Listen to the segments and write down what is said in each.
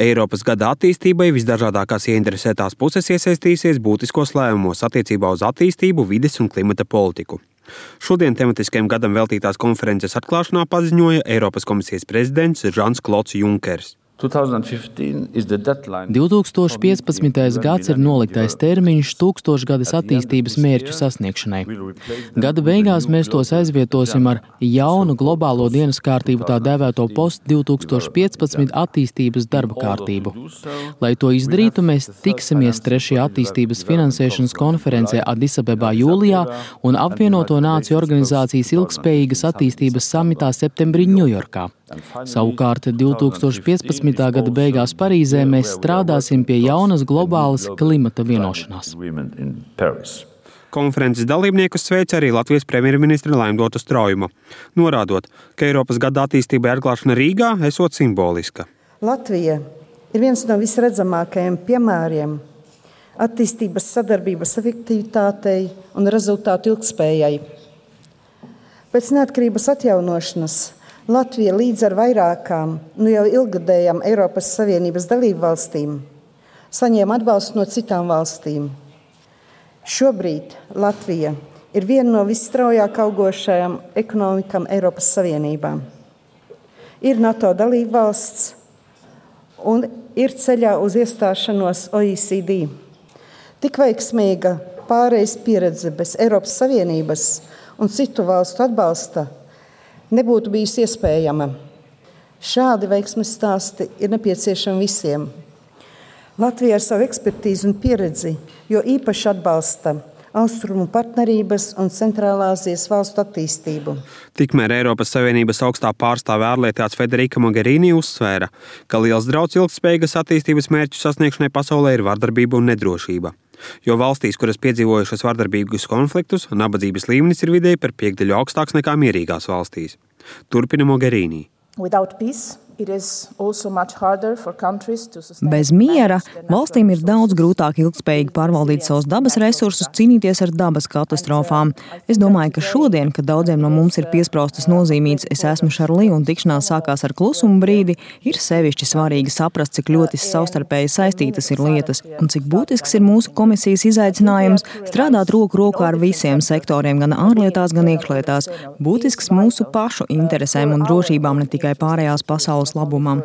Eiropas gada attīstībai visdažādākās ieinteresētās puses iesaistīsies būtiskos lēmumos attiecībā uz attīstību, vides un klimata politiku. Šodien tematiskajam gadam veltītās konferences atklāšanā paziņoja Eiropas komisijas prezidents Žans-Klods Junkers. 2015. gads ir noliktais termiņš tūkstošgades attīstības mērķu sasniegšanai. Gada beigās mēs tos aizvietosim ar jaunu globālo dienas kārtību, tā dēvēto post-2015 attīstības darba kārtību. Lai to izdarītu, mēs tiksimies 3. attīstības finansēšanas konferencē Adisabebā jūlijā un apvienoto nāciju organizācijas ilgspējīgas attīstības samitā septembrī Ņujorkā. Savukārt 2015. gada beigās Parīzē mēs strādāsim pie jaunas globālas klimata vienošanās. Konferences dalībniekus sveica arī Latvijas premjerministre Laimdota Straujuma, norādot, ka Eiropas gada attīstībai atklāšana Rīgā esot simboliska. Latvija ir viens no visredzamākajiem piemēriem attīstības sadarbības efektivitātei un rezultātu ilgspējai. Pēc neatkarības atjaunošanas Latvija līdz ar vairākām, jau ilgadējām Eiropas Savienības dalību valstīm saņēma atbalstu no citām valstīm. Šobrīd Latvija ir viena no visstraujāk augošajām ekonomikām Eiropas Savienībā. Ir NATO dalību valsts un ir ceļā uz iestāšanos OECD. Tik veiksmīga pārejas pieredze bez Eiropas Savienības un citu valstu atbalsta nebūtu bijusi iespējama. Šādi veiksmes stāsti ir nepieciešami visiem. Latvija ar savu ekspertīzi un pieredzi, jo īpaši atbalsta Austrumu partnerības un Centrālāzijas valstu attīstību. Tikmēr Eiropas Savienības augstā pārstāve ārlietās Federica Mogherini uzsvēra, ka liels draudz ilgtspējīgas attīstības mērķu sasniegšanai pasaulē ir vardarbība un nedrošība. Jo valstīs, kuras piedzīvojušas vardarbīgus konfliktus, nabadzības līmenis ir vidēji par 5% augstāks nekā mierīgās valstīs. Turpina Mogherini. Bez miera valstīm ir daudz grūtāk ilgspējīgi pārvaldīt savus dabas resursus, cīnīties ar dabas katastrofām. Es domāju, ka šodien, kad daudziem no mums ir piespraustas nozīmītas es esmu Šarlī un tikšanās sākās ar klusumu brīdi, ir sevišķi svarīgi saprast, cik ļoti savstarpēji saistītas ir lietas un cik būtisks ir mūsu komisijas izaicinājums strādāt roku rokā ar visiem sektoriem, gan ārlietās, gan iekšlietās. Būtisks mūsu pašu interesēm un drošībām, ne tikai pārējās pasaules labumam.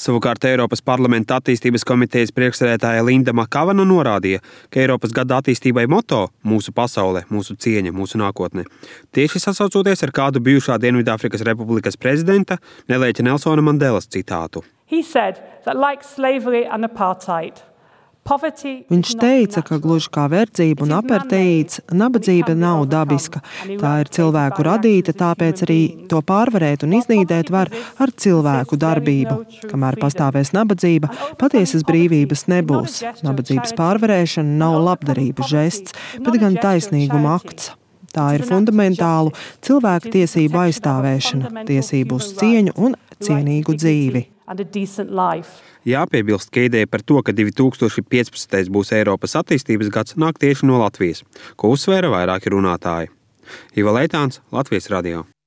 Savukārt Eiropas parlamenta attīstības komitejas priekšsēdētāja Linda Makavana norādīja, ka Eiropas gada attīstībai moto "Mūsu pasaule, mūsu cieņa, mūsu nākotne" tieši sasaucoties ar kādu bijušā Dienvidāfrikas Republikas prezidenta Nelēķa Nelsona Mandelas citātu. Viņš teica, ka gluži kā verdzība un aparteīds, nabadzība nav dabiska. Tā ir cilvēku radīta, tāpēc arī to pārvarēt un iznīdēt var ar cilvēku darbību. Kamēr pastāvēs nabadzība, patiesas brīvības nebūs. Nabadzības pārvarēšana nav labdarību žests, bet gan taisnīguma akts. Tā ir fundamentālu cilvēku tiesību aizstāvēšana, tiesību uz cieņu un cienīgu dzīvi. Jāpiebilst, ka ideja par to, ka 2015. būs Eiropas attīstības gads, nāk tieši no Latvijas, ko uzsvēra vairāki runātāji. Iva Leitāns, Latvijas radio.